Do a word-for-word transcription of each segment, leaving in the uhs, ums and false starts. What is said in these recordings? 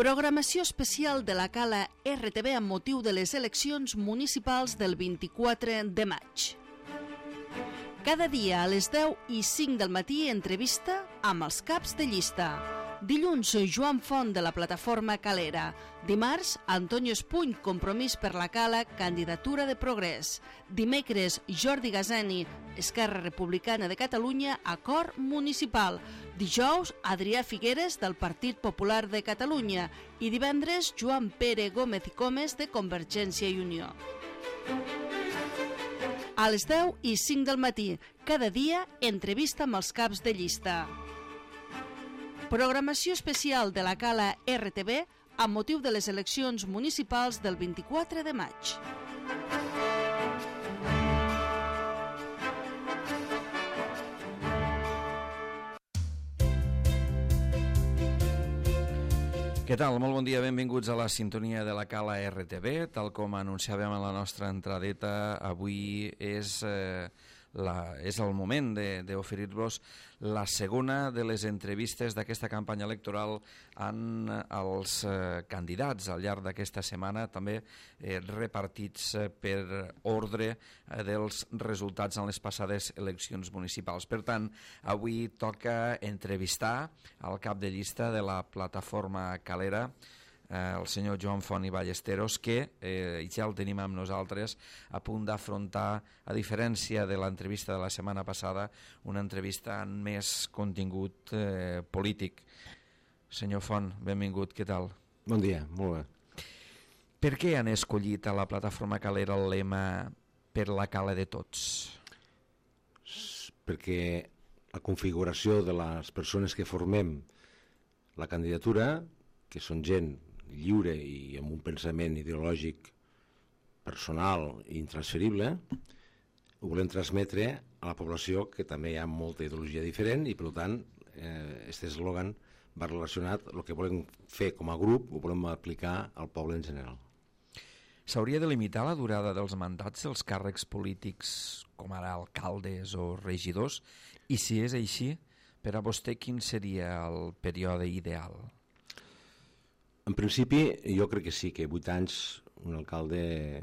Programació especial de la Cala R T B amb motiu de les eleccions municipals del vint-i-quatre de maig. Cada dia a les deu i cinc del matí entrevista amb els caps de llista. Dilluns, Joan Font de la plataforma Calera. Dimarts, Antonio Espuny, Compromís per la Cala, candidatura de Progrés. Dimecres, Jordi Gazani, Esquerra Republicana de Catalunya, acord municipal. Dijous, Adrià Figueres del Partit Popular de Catalunya. I divendres, Joan Pere Gómez i Comes de Convergència i Unió. A les deu i cinc del matí, cada dia, entrevista amb els caps de llista. Programació especial de la Cala R T B amb motiu de les eleccions municipals del vint-i-quatre de maig. Què tal? Molt bon dia, benvinguts a la sintonia de la Cala R T B. Tal com anunciàvem a la nostra entradeta, avui és, eh, la, és el moment d'oferir-vos la segona de les entrevistes d'aquesta campanya electoral amb els eh, candidats al llarg d'aquesta setmana, també eh, repartits eh, per ordre eh, dels resultats en les passades eleccions municipals. Per tant, avui toca entrevistar al cap de llista de la plataforma Calera, el senyor Joan Font i Ballesteros, que eh, ja el tenim amb nosaltres a punt d'afrontar, a diferència de l'entrevista de la setmana passada, una entrevista amb més contingut eh, polític. Senyor Font, benvingut, què tal? Bon dia, molt bé. Per què han escollit a la plataforma Calera el lema "Per la Cala de tots"? Perquè la configuració de les persones que formem la candidatura, que són gent lliure i amb un pensament ideològic personal i intransferible, ho volem transmetre a la població, que també hi ha molta ideologia diferent, i per tant aquest eh, eslògan va relacionat el que volem fer com a grup, ho volem aplicar al poble en general. S'hauria de limitar la durada dels mandats dels càrrecs polítics, com ara alcaldes o regidors, i si és així, per a vostè quin seria el període ideal? En principi, jo crec que sí, que vuit anys un alcalde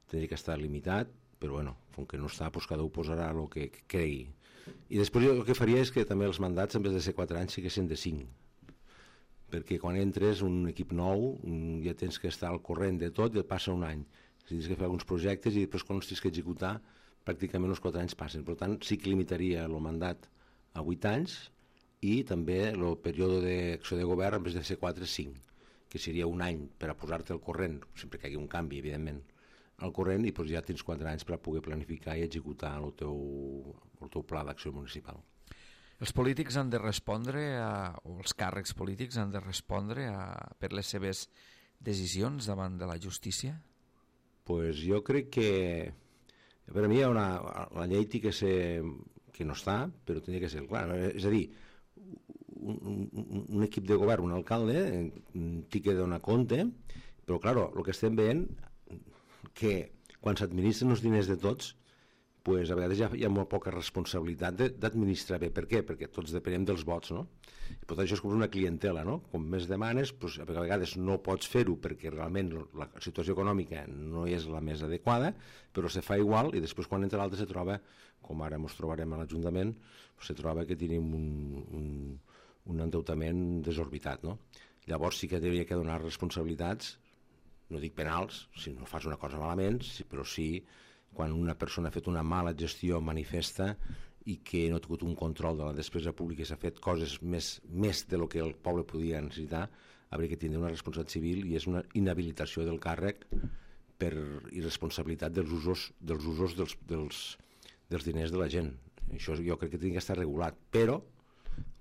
tindria que estar limitat, però bueno, com que no està, doncs cada un posarà el que cregui. I després jo el que faria és que també els mandats, en vez de ser quatre anys, siguessin de cinc. Perquè quan entres un equip nou, ja tens que estar al corrent de tot i et passa un any. Si tens que fer alguns projectes i després quan els tens que executar, pràcticament els quatre anys passen. Per tant, sí que limitaria el mandat a vuit anys i també el període d'acció de govern, en vez de ser quatre, cinc, que seria un any per a posar-te al corrent, sempre que hi hagi un canvi, evidentment, al corrent, i doncs ja tens quatre anys per a poder planificar i executar el teu, el teu pla d'acció municipal. Els polítics han de respondre, a, o els càrrecs polítics han de respondre a, per les seves decisions davant de la justícia? Pues jo crec que per a mi hi ha una, la llei té que ser, que no està, però tenia que ser clar, és a dir, Un, un, un equip de govern, un alcalde, té que donar compte, però, clar, el que estem veient que quan s'administren els diners de tots, pues, a vegades hi ha, hi ha molt poca responsabilitat d'administrar bé. Per què? Perquè tots depenem dels vots, no? I per tant, això és com una clientela, no? Com més demanes, pues, a vegades no pots fer-ho perquè realment la situació econòmica no és la més adequada, però se fa igual i després quan entra l'altre se troba, com ara ens trobarem a l'Ajuntament, se troba que tenim un, un, un endeutament desorbitat, no? Llavors sí que hauria que donar responsabilitats, no dic penals, si no fas una cosa malament, però sí quan una persona ha fet una mala gestió manifesta i que no ha tingut un control de la despesa pública i s'ha fet coses més, més de lo que el poble podia necessitar, hauria que tindre una responsabilitat civil i és una inhabilitació del càrrec per irresponsabilitat dels usos, dels, usos dels, dels, dels diners de la gent. Això jo crec que hauria que estar regulat, però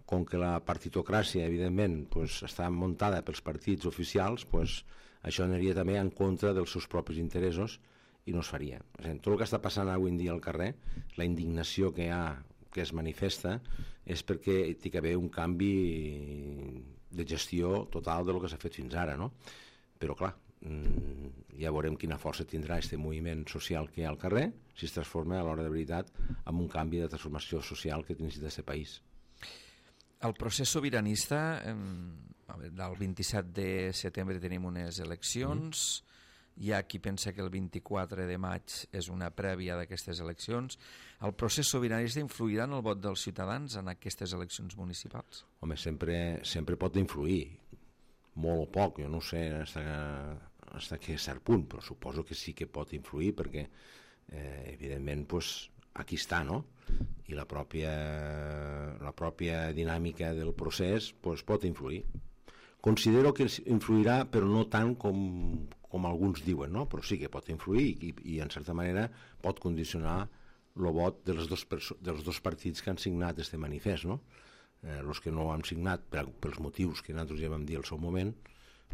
com que la partitocràcia, evidentment, pues, està muntada pels partits oficials, pues, això aniria també en contra dels seus propis interessos i no es faria. Tot el que està passant avui en dia al carrer, la indignació que hi ha, que es manifesta, és perquè hi ha d'haver un canvi de gestió total del que s'ha fet fins ara, no? Però clar, ja veurem quina força tindrà aquest moviment social que hi ha al carrer, si es transforma a l'hora de veritat en un canvi de transformació social que necessita aquest país. El procés sobiranista, eh, el vint-i-set de setembre tenim unes eleccions, mm. Hi ha qui pensa que el vint-i-quatre de maig és una prèvia d'aquestes eleccions. El procés sobiranista influirà en el vot dels ciutadans en aquestes eleccions municipals? Home, sempre, sempre pot influir, molt o poc, jo no sé fins a que cert punt, però suposo que sí que pot influir perquè, eh, evidentment, pues, aquí està, no? I la pròpia, la pròpia dinàmica del procés pues, pot influir. Considero que influirà, però no tant com, com alguns diuen, no? Però sí que pot influir i, i en certa manera pot condicionar el vot dels dos, dels dos partits que han signat este manifest, no? Eh, els que no han signat per, pels motius que nosaltres ja vam dir al seu moment,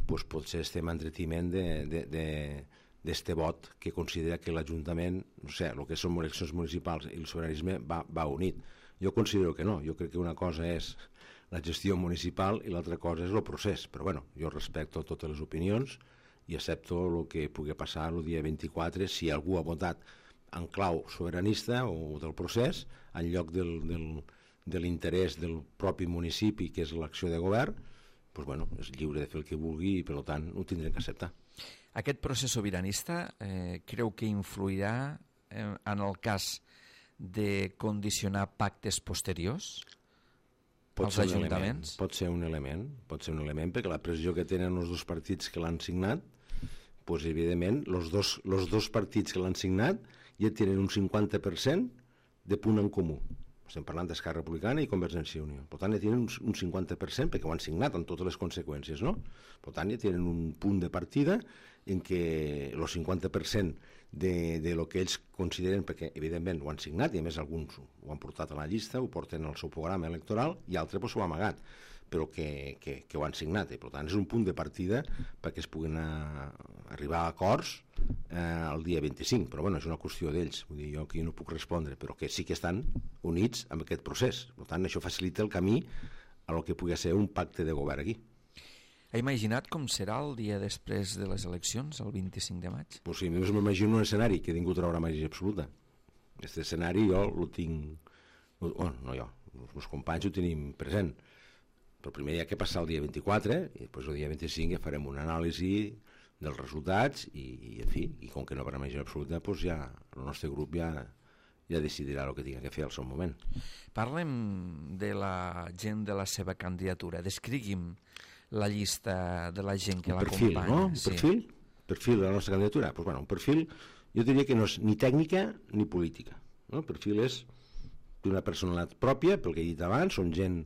pues potser estem en entretiment d'este vot que considera que l'Ajuntament, no sé, el que són eleccions municipals i el sobiranisme va, va unit. Jo considero que no, jo crec que una cosa és la gestió municipal i l'altra cosa és el procés, però bueno, jo respecto totes les opinions i accepto el que pugui passar el dia vint-i-quatre si algú ha votat en clau sobiranista o del procés en lloc del, del, de l'interès del propi municipi que és l'acció de govern, doncs bueno, és lliure de fer el que vulgui i per tant ho tindrem que acceptar. Aquest procés sobiranista eh, creu que influirà eh, en el cas de condicionar pactes posteriors? Pot ser, element, pot ser un element, pot ser un element, perquè la pressió que tenen els dos partits que l'han signat, doncs, evidentment, els dos, els dos partits que l'han signat ja tenen un cinquanta per cent de punt en comú. Estem parlant d'Esquerra Republicana i Convergència i Unió. Per tant, ja tenen un cinquanta per cent perquè ho han signat amb totes les conseqüències, no? Per tant, ja tenen un punt de partida en què el cinquanta per cent de, de lo que ells consideren, perquè evidentment ho han signat i a més alguns ho han portat a la llista, ho porten al seu programa electoral i altres pues, ho han amagat, però que, que, que ho han signat. I, per tant, és un punt de partida perquè es puguin a, arribar a acords eh, el dia vint-i-cinc, però bueno, és una qüestió d'ells, vull dir, jo aquí no puc respondre, però que sí que estan units amb aquest procés. Per tant, això facilita el camí a lo que pugui ser un pacte de govern aquí. Ha imaginat com serà el dia després de les eleccions, el vint-i-cinc de maig? Pues sí, només m'imagino un escenari que ningú trobarà màgia absoluta. Aquest escenari jo el tinc... Bueno, no jo, els meus companys ho tenim present. Però primer hi ha que passar el dia vint-i-quatre i després el dia vint-i-cinc ja farem una anàlisi dels resultats i, i en fi, i com que no haurà màgia absoluta, doncs ja el nostre grup ja, ja decidirà el que tinga que fer al seu moment. Parlem de la gent de la seva candidatura. Descrigui'm la llista de la gent que l'acompanya. Un perfil, no? Un sí. perfil? Perfil de la nostra candidatura? Pues bueno, un perfil, jo diria que no és ni tècnica ni política. No? El perfil és d'una personalitat pròpia, pel que he dit abans, són gent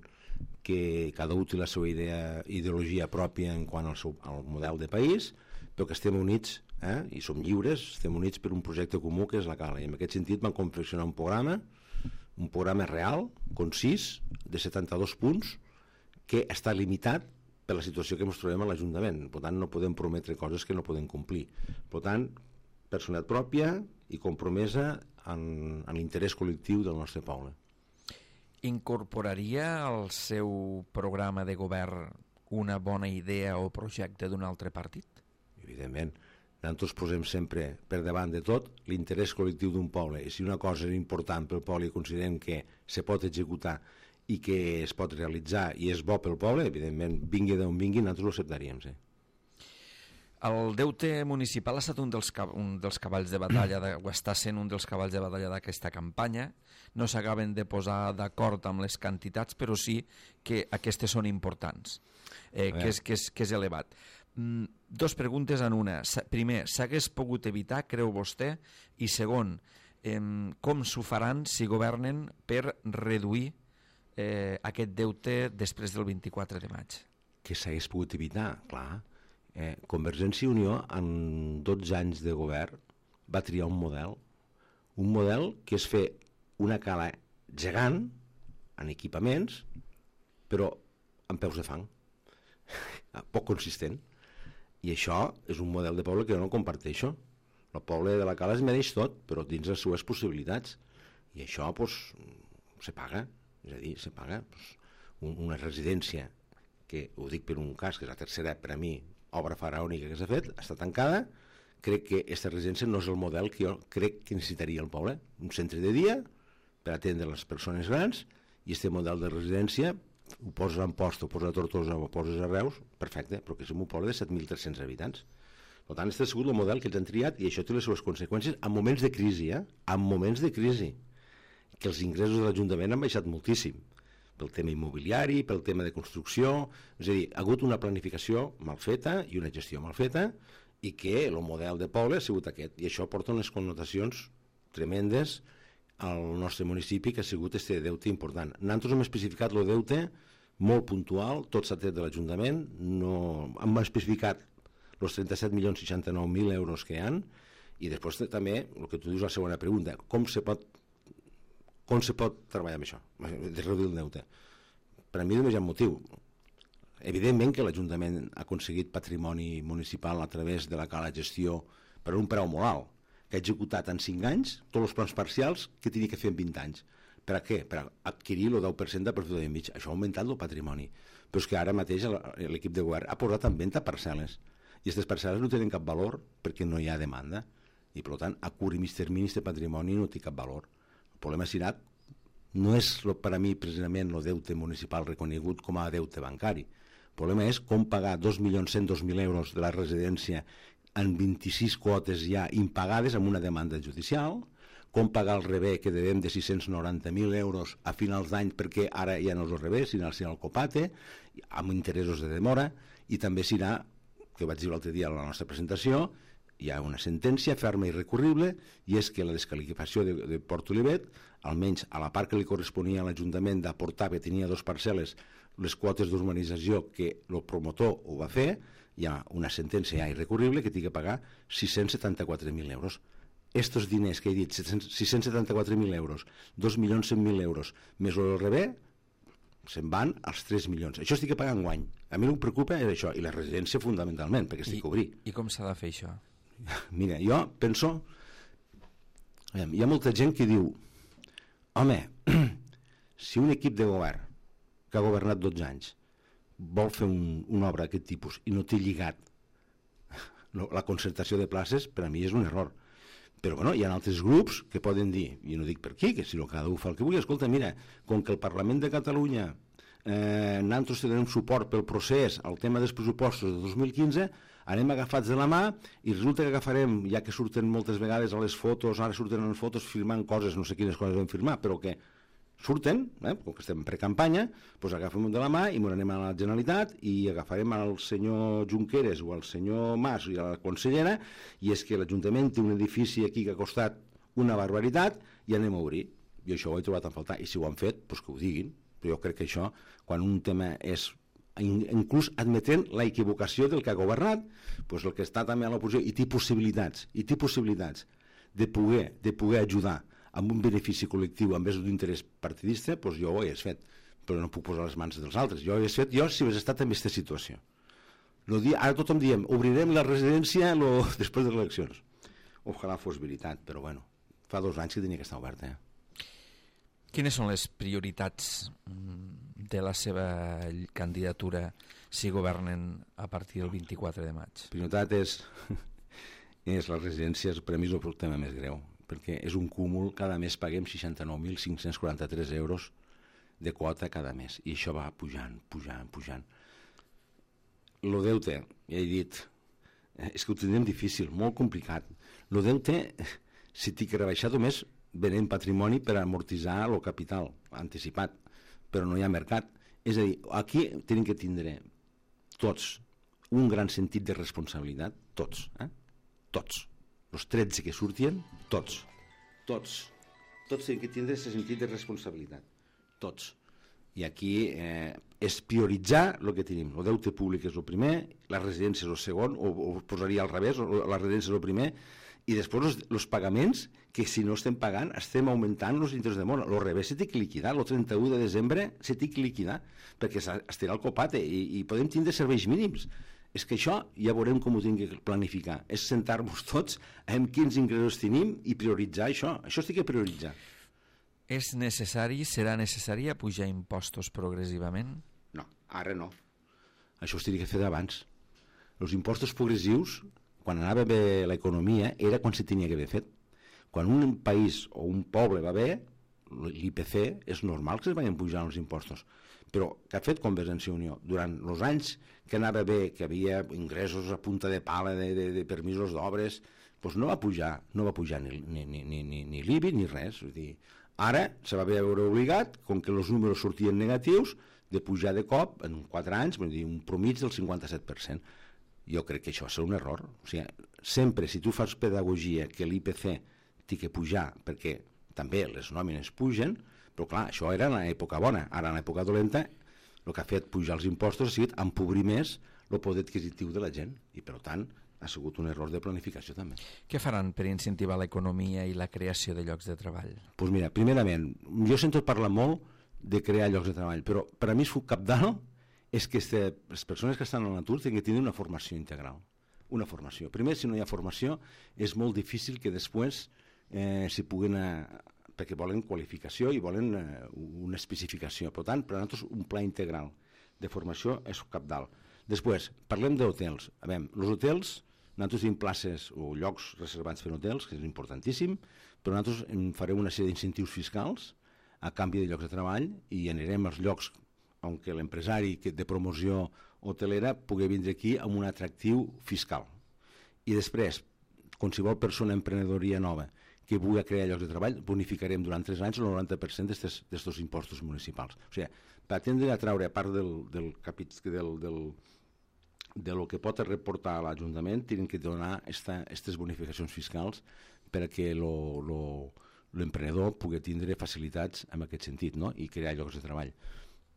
que cada un té la seva idea, ideologia pròpia en quant al, seu, al model de país, però que estem units, eh? I som lliures, estem units per un projecte comú que és la Cala. I en aquest sentit vam confeccionar un programa, un programa real, concís, de setanta-dos punts, que està limitat per la situació que ens trobem a l'Ajuntament. Per tant, no podem prometre coses que no podem complir. Per tant, personalitat pròpia i compromesa en, en l'interès col·lectiu del nostre poble. Incorporaria al seu programa de govern una bona idea o projecte d'un altre partit? Evidentment. Nosaltres posem sempre per davant de tot l'interès col·lectiu d'un poble. I si una cosa és important pel poble i considerem que se pot executar i que es pot realitzar i és bo pel poble, evidentment, vingui d'on vingui, nosaltres ho acceptaríem, sí. El deute municipal ha estat un dels, un dels cavalls de batalla, de, o està sent un dels cavalls de batalla d'aquesta campanya. No s'acaben de posar d'acord amb les quantitats, però sí que aquestes són importants, eh, que, és, que, és, que és elevat. Mm, dos preguntes en una. Primer, s'hagués pogut evitar, creu vostè? I segon, eh, com s'ho faran si governen per reduir Eh, aquest deute després del vint-i-quatre de maig? Que s'hagués pogut evitar, clar. Eh, Convergència i Unió, en dotze anys de govern, va triar un model, un model que és fer una cala gegant, en equipaments, però amb peus de fang, poc consistent. I això és un model de poble que jo no comparteixo. El poble de la cala es mereix tot, però dins les seves possibilitats. I això, doncs, se paga. És a dir, se paga doncs, una residència que, ho dic per un cas, que és la tercera, per a mi, obra faraònica que s'ha fet, està tancada. Crec que aquesta residència no és el model que jo crec que necessitaria el poble. Un centre de dia per atendre les persones grans i aquest model de residència ho poses a Amposta, ho poses a Tortosa, ho poses a Reus, perfecte, però que és un poble de set mil tres-cents habitants. Per tant, aquest ha sigut el model que ens han triat i això té les seves conseqüències en moments de crisi, eh? En moments de crisi, que els ingressos de l'Ajuntament han baixat moltíssim, pel tema immobiliari, pel tema de construcció, és a dir, ha hagut una planificació mal feta i una gestió mal feta i que el model de poble ha sigut aquest, i això porta unes connotacions tremendes al nostre municipi, que ha sigut este deute important. Nosaltres hem especificat el deute molt puntual, tot s'ha tret de l'Ajuntament, no... hem especificat els trenta-set milions seixanta-nou mil euros que hi ha, i després també, el que tu dius, la segona pregunta, com se pot com se pot treballar amb això, de reduir el deute? Per a mi només hi ha un motiu. Evidentment que l'Ajuntament ha aconseguit patrimoni municipal a través de la cala gestió per un preu molt alt, que ha executat en cinc anys tots els plans parcials que tenia que fer en vint anys. Per a què? Per adquirir el deu per cent de profit de mig. Això ha augmentat el patrimoni. Però és que ara mateix l'equip de govern ha posat en venda parcel·les. I aquestes parcel·les no tenen cap valor perquè no hi ha demanda. I, per tant, a curt i mig termini aquest patrimoni no té cap valor. El problema serà, no és per a mi precisament el deute municipal reconegut com a deute bancari. El problema és com pagar dos milions cent dos mil euros de la residència en vint-i-sis quotes ja impagades amb una demanda judicial, com pagar el rebé que devem de sis-cents noranta mil euros a finals d'any perquè ara ja no és el rebé, sinó el copate, amb interessos de demora, i també serà, que vaig dir l'altre dia a la nostra presentació, hi ha una sentència ferma i recurrible, i és que la descalificació de, de Port Olivet, almenys a la part que li corresponia a l'Ajuntament d'aportar, que tenia dos parcel·les, les quotes d'urbanització que el promotor ho va fer, hi ha una sentència ja irrecurrible que té que pagar sis-cents setanta-quatre mil euros. Estos diners que he dit, sis-cents setanta-quatre mil euros, dos milions cent mil euros, més el rebé, se'n van als tres milions. Això estic pagant guany. A mi el que em preocupa és això, i la residència fundamentalment, perquè estic I, a obrir. I com s'ha de fer això? Mira, jo penso... Hi ha molta gent que diu, home, si un equip de govern que ha governat dotze anys vol fer un, una obra d'aquest tipus i no té lligat la concertació de places, per a mi és un error. Però bueno, hi ha altres grups que poden dir, i no dic per qui, que si no cada un fa el que vulgui, escolta, mira, com que el Parlament de Catalunya eh, nosaltres tenim suport pel procés al tema dels pressupostos de dos mil quinze, anem agafats de la mà i resulta que agafarem, ja que surten moltes vegades a les fotos, ara surten en fotos firmant coses, no sé quines coses vam firmar, però que surten, eh, com que estem en precampanya, doncs agafem de la mà i anem a la Generalitat i agafarem al senyor Junqueras o al senyor Mas i a la consellera, i és que l'Ajuntament té un edifici aquí que ha costat una barbaritat i anem a obrir. Jo això ho he trobat a faltar, i si ho han fet, doncs que ho diguin. Però jo crec que això, quan un tema és inclús admetent la equivocació del que ha governat, doncs el que està també a l'oposició i té possibilitats, i té possibilitats de poder, de poder ajudar amb un benefici col·lectiu en vez d'un interès partidista, doncs jo ho hagués fet, però no puc posar les mans dels altres. Jo ho hagués fet, jo si hagués estat en aquesta situació. No dia, ara tothom diem, obrirem la residència lo, després de les eleccions. Ojalà fos veritat, però bueno, fa dos anys que tenia que estar oberta. Eh? Quines són les prioritats de la seva candidatura si governen a partir del vint-i-quatre de maig? La prioritat és, és les residències, per a mi és el tema més greu, perquè és un cúmul, cada mes paguem seixanta-nou mil cinc-cents quaranta-tres euros de quota cada mes, i això va pujant, pujant, pujant. El deute, ja he dit, és que ho tindrem difícil, molt complicat. El deute, si t'hi que rebaixar només venent patrimoni per amortitzar el capital anticipat, però no hi ha mercat. És a dir, aquí tenim que tindre tots un gran sentit de responsabilitat, tots, eh? Tots. Els tretze que surtien, tots, tots, tots tenen que tindre aquest sentit de responsabilitat, tots. I aquí eh, és prioritzar el que tenim. El deute públic és el primer, la residència és el segon, o, o posaria al revés, o la residència és el primer, i després els pagaments, que si no estem pagant, estem augmentant els interessos de mora. El revés se té que liquidar, el trenta-u de desembre se té que liquidar, perquè estarà el copate, i, i podem tindre serveis mínims. És que això ja veurem com ho tinc que planificar. És sentar-nos tots amb quins ingressos tenim i prioritzar això. Això estic a prioritzar. És necessari, serà necessari pujar impostos progressivament? No, ara no. Això es hauria que fer d'abans. Els impostos progressius, quan anava bé l'economia, era quan se tenia que haver fet. Quan un país o un poble va bé, l'I P C és normal que es vagin pujant els impostos, però què ha fet Convergència i Unió? Durant els anys que anava bé, que havia ingressos a punta de pala de, de, de permisos d'obres, doncs no va pujar, no va pujar ni, ni, ni, ni, ni l'I B I ni res. Vull dir, ara se va veure obligat, com que els números sortien negatius, de pujar de cop, en quatre anys, vull dir, un promig del cinquanta-set per cent. Jo crec que això va ser un error. O sigui, sempre, si tu fas pedagogia que l'I P C té que pujar, perquè també les nòmines pugen, però clar, això era en l'època bona. Ara, en l'època dolenta, el que ha fet pujar els impostos ha sigut empobrir més el poder adquisitiu de la gent, i per tant ha sigut un error de planificació també. Què faran per incentivar l'economia i la creació de llocs de treball? Doncs pues mira, primerament, jo sento parlar molt de crear llocs de treball, però per a mi és cabdal és que este, les persones que estan a l'atur tenen que tenir una formació integral. Una formació. Primer, si no hi ha formació, és molt difícil que després eh, s'hi puguin... Eh, perquè volen qualificació i volen eh, una especificació. Per tant, per a nosaltres un pla integral de formació és cabdal. Després, parlem d'hotels. A veure, els hotels, nosaltres tenim places o llocs reservats per hotels, que és importantíssim, però nosaltres en farem una sèrie d'incentius fiscals a canvi de llocs de treball i anirem als llocs on l'empresari de promoció hotelera pugui vindre aquí amb un atractiu fiscal. I després, qualsevol persona emprenedoria nova que vulgui crear llocs de treball, bonificarem durant tres anys el noranta per cent d'aquests impostos municipals. O sigui, per atendre a treure, a part del, del capit, del, del, de lo que pot reportar a l'Ajuntament, tenen que donar aquestes bonificacions fiscals perquè l'emprenedor pugui tindre facilitats en aquest sentit, no? I crear llocs de treball.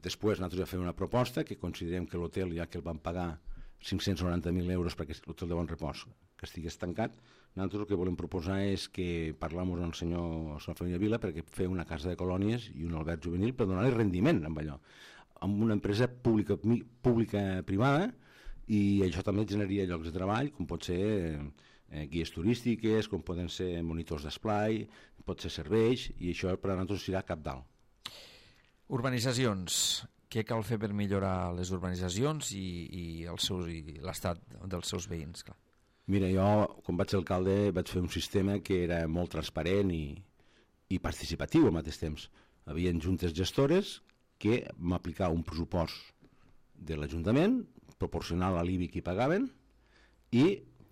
Després nosaltres ja fem una proposta que considerem que l'hotel, ja que el van pagar cinc-cents noranta mil euros perquè l'hotel de Bon Repòs que estigués tancat, nosaltres el que volem proposar és que parlem amb el senyor Família Vila perquè fer una casa de colònies i un alberg juvenil per donar-li rendiment amb allò, amb una empresa pública, pública privada, i això també generaria llocs de treball, com pot ser eh, guies turístiques, com poden ser monitors d'esplai, pot ser serveis, i això per a nosaltres serà cabdal. Urbanitzacions. Què cal fer per millorar les urbanitzacions i, i, el seu, i l'estat dels seus veïns? Clar. Mira, jo, quan vaig ser alcalde, vaig fer un sistema que era molt transparent i, i participatiu al mateix temps. Hi havia juntes gestores que vam aplicar un pressupost de l'Ajuntament, proporcional a l'I B I que hi pagaven, i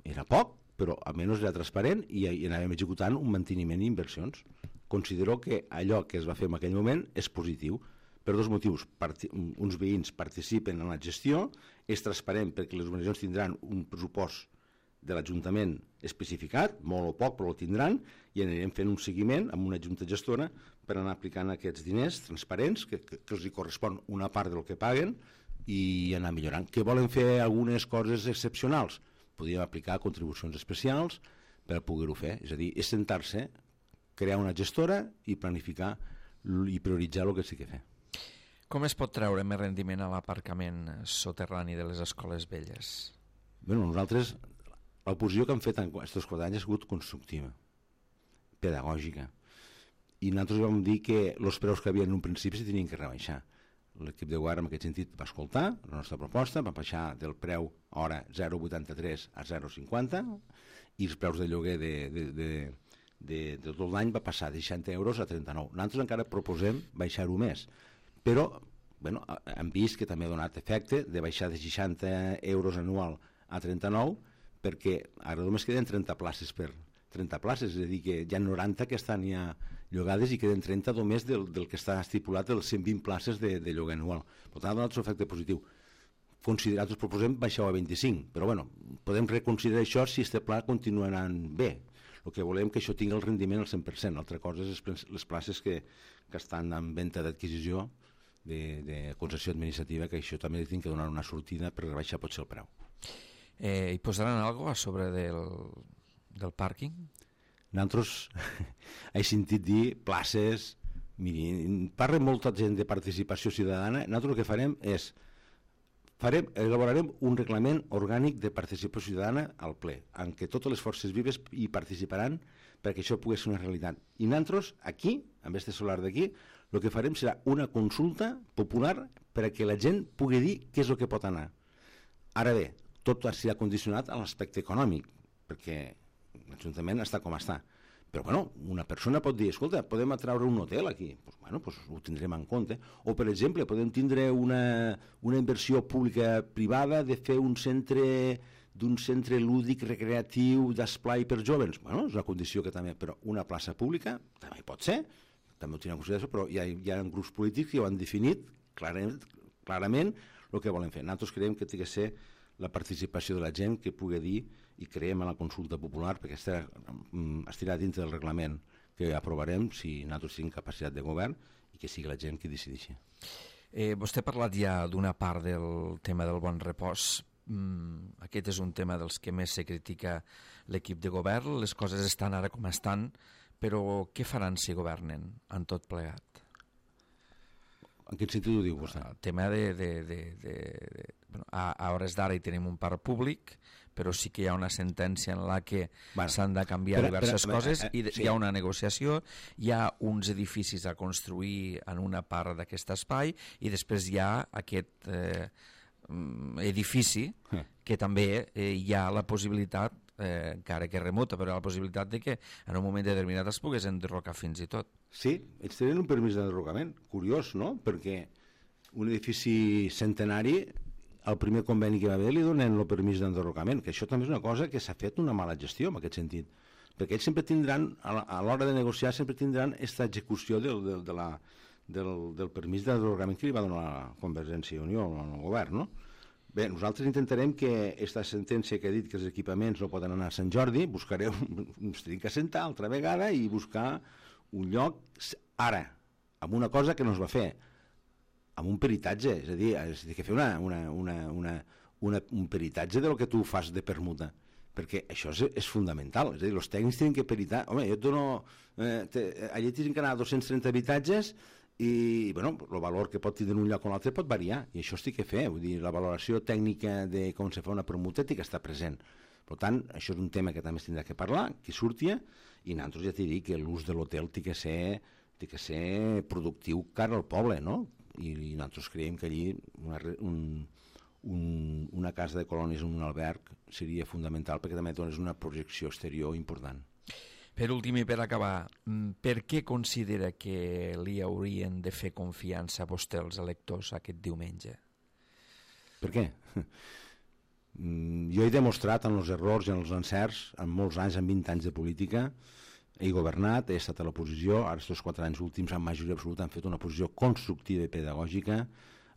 era poc, però almenys era transparent i, i anàvem executant un manteniment i inversions. Considero que allò que es va fer en aquell moment és positiu. Per dos motius. Parti, uns veïns participen en la gestió, és transparent perquè les organitzacions tindran un pressupost de l'Ajuntament especificat, molt o poc, però el tindran, i anirem fent un seguiment amb una junta gestora per anar aplicant aquests diners transparents, que, que, que els hi correspon una part del que paguen, i anar millorant. Que volen fer algunes coses excepcionals? Podríem aplicar contribucions especials per poder-ho fer. És a dir, és sentar-se, crear una gestora i planificar i prioritzar el que sí que fer. Com es pot treure més rendiment a l'aparcament soterrani de les escoles velles? Bé, nosaltres, l'oposició que han fet en aquests quatre anys ha sigut constructiva, pedagògica. I nosaltres vam dir que els preus que havia en un principi s'hi tenien que rebaixar. L'equip de govern en aquest sentit va escoltar la nostra proposta, va baixar del preu hora zero coma vuitanta-tres a zero coma cinquanta i els preus de lloguer de, de, de, de, de tot l'any va passar de seixanta euros a trenta-nou. Nosaltres encara proposem baixar-ho més, però bueno, hem vist que també ha donat efecte de baixar de seixanta euros anual a trenta-nou, perquè ara només queden trenta places per trenta places, és a dir, que hi ha noranta que estan ja llogades i queden trenta només del, del que està estipulat dels cent vint places de, de lloguer anual. Per tant, ha donat un efecte positiu. Considerat, us proposem baixar a vint-i-cinc, però bueno, podem reconsiderar això si este pla continua anant bé. El que volem que això tingui el rendiment al cent per cent. L'altra cosa és les places que, que estan en venda d'adquisició de, de concessió administrativa, que això també tinc que donar una sortida per rebaixar potser el preu. Eh, hi posaran alguna cosa a sobre del, del pàrquing? Nosaltres he sentit dir places, miri, parla molta gent de participació ciutadana. Nosaltres el que farem és farem, elaborarem un reglament orgànic de participació ciutadana al ple, en què totes les forces vives hi participaran perquè això pugui ser una realitat. I nosaltres, aquí, amb este solar d'aquí, el que farem serà una consulta popular perquè la gent pugui dir què és el que pot anar. Ara bé, tot serà condicionat a l'aspecte econòmic, perquè l'Ajuntament està com està. Però, bueno, una persona pot dir, escolta, podem atraure un hotel aquí. Pues, bueno, pues ho tindrem en compte. O, per exemple, podem tindre una, una inversió pública-privada de fer un centre d'un centre lúdic recreatiu d'esplai per jovens. Bueno, és una condició que també... Però una plaça pública també pot ser, també ho tenen en consideració, però hi ha, hi ha grups polítics que ho han definit clarament, clarament el que volen fer. Nosaltres creiem que té que ser la participació de la gent que pugui dir i creiem en la consulta popular perquè estarà, estarà dintre del reglament que aprovarem si nosaltres tenim capacitat de govern i que sigui la gent qui decideixi. Eh, vostè ha parlat ja d'una part del tema del bon repòs. Mm, aquest és un tema dels que més se critica l'equip de govern. Les coses estan ara com estan, però què faran si governen en tot plegat? En quin sentit ho diu vostè? El tema de... de, de, de, de bueno, a, a hores d'ara hi tenim un parc públic, però sí que hi ha una sentència en la que bueno, s'han de canviar però, diverses però, coses eh, eh, i de, sí. Hi ha una negociació, hi ha uns edificis a construir en una part d'aquest espai i després hi ha aquest eh, edifici eh. que també eh, hi ha la possibilitat, eh, encara que remota, però hi ha la possibilitat de que en un moment determinat es pogués enderrocar fins i tot. Sí, ells tenen un permís d'enderrocament, curiós, no? Perquè un edifici centenari, el primer conveni que va haver li donen el permís d'enderrocament, que això també és una cosa que s'ha fet una mala gestió en aquest sentit, perquè ells sempre tindran, a l'hora de negociar, sempre tindran aquesta execució del, del, de la, del, del permís d'enderrocament que li va donar la Convergència i Unió al govern, no? Bé, nosaltres intentarem que aquesta sentència que ha dit que els equipaments no poden anar a Sant Jordi, buscarem, ens tenim que assentar altra vegada i buscar un lloc ara, amb una cosa que no es va fer, amb un peritatge, és a dir, és a dir que fer una, una, una, una, una, un peritatge de lo que tu fas de permuta, perquè això és, és fundamental, és a dir, els tècnics tenen que peritar, home, jo et dono, eh, te, allà tenen que anar a dos-cents trenta habitatges i, bueno, el valor que pot tindre un lloc o l'altre pot variar, i això es té que fer, vull dir, la valoració tècnica de com se fa una permuta té que estar present. Per tant, això és un tema que també es tindrà que parlar, que surti, i nosaltres ja t'he dit que l'ús de l'hotel té que ser, té que ser productiu cara al poble, no? I, i nosaltres creiem que allí una, un, un, una casa de colònies en un alberg seria fundamental perquè també dones una projecció exterior important. Per últim i per acabar, per què considera que li haurien de fer confiança a vostè els electors aquest diumenge? Per què? Jo he demostrat en els errors i en els encerts, en molts anys, en vint anys de política, he governat, he estat a l'oposició, ara aquests quatre anys últims en majoria absoluta han fet una posició constructiva i pedagògica,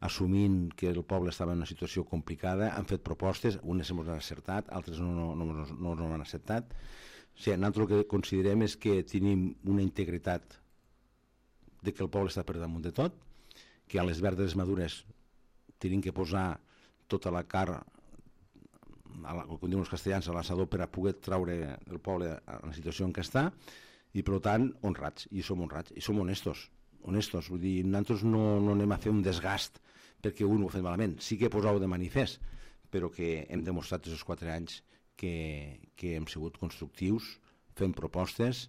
assumint que el poble estava en una situació complicada, han fet propostes, unes hem acertat, altres no, no, no, no, no han acceptat. O sigui, nosaltres el que considerem és que tenim una integritat de que el poble està per damunt de tot, que a les verdes madures tenim que posar tota la carn, com diuen els castellans, a l'assador per a poder traure el poble a la situació en què està, i per tant honrats, i som honrats, i som honestos, honestos, vull dir, nosaltres no, no anem a fer un desgast perquè un ho ha fet malament, sí que posau de manifest, però que hem demostrat aquests quatre anys que, que hem sigut constructius, fem propostes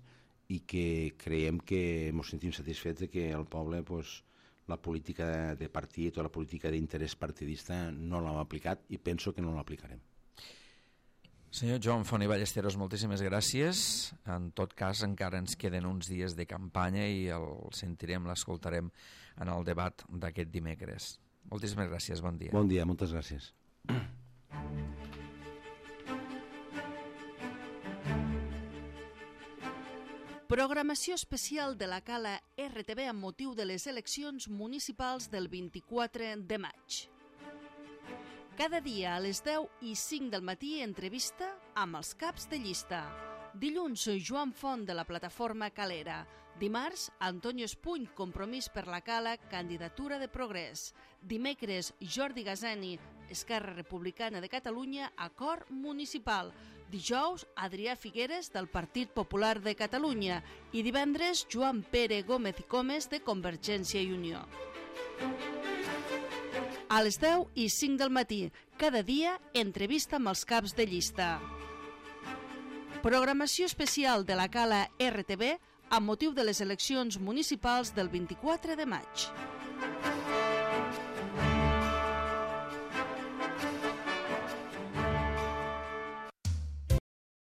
i que creiem que ens sentim satisfets de que el poble, pues, la política de partit o la política d'interès partidista no l'hem aplicat i penso que no l'aplicarem. Senyor Joan Font i Ballesteros, moltíssimes gràcies. En tot cas, encara ens queden uns dies de campanya i el sentirem, l'escoltarem en el debat d'aquest dimecres. Moltíssimes gràcies, bon dia. Bon dia, moltes gràcies. Programació especial de la Cala R T V amb motiu de les eleccions municipals del vint-i-quatre de maig. Cada dia a les deu i cinc del matí entrevista amb els caps de llista. Dilluns, Joan Font de la plataforma Calera. Dimarts, Antonio Espuny, Compromís per la Cala, candidatura de Progrés. Dimecres, Jordi Gazani, Esquerra Republicana de Catalunya, acord municipal. Dijous, Adrià Figueres, del Partit Popular de Catalunya. I divendres, Joan Pere Gómez i Comes, de Convergència i Unió. A les deu i cinc del matí, cada dia, entrevista amb els caps de llista. Programació especial de la Cala R T V amb motiu de les eleccions municipals del vint-i-quatre de maig.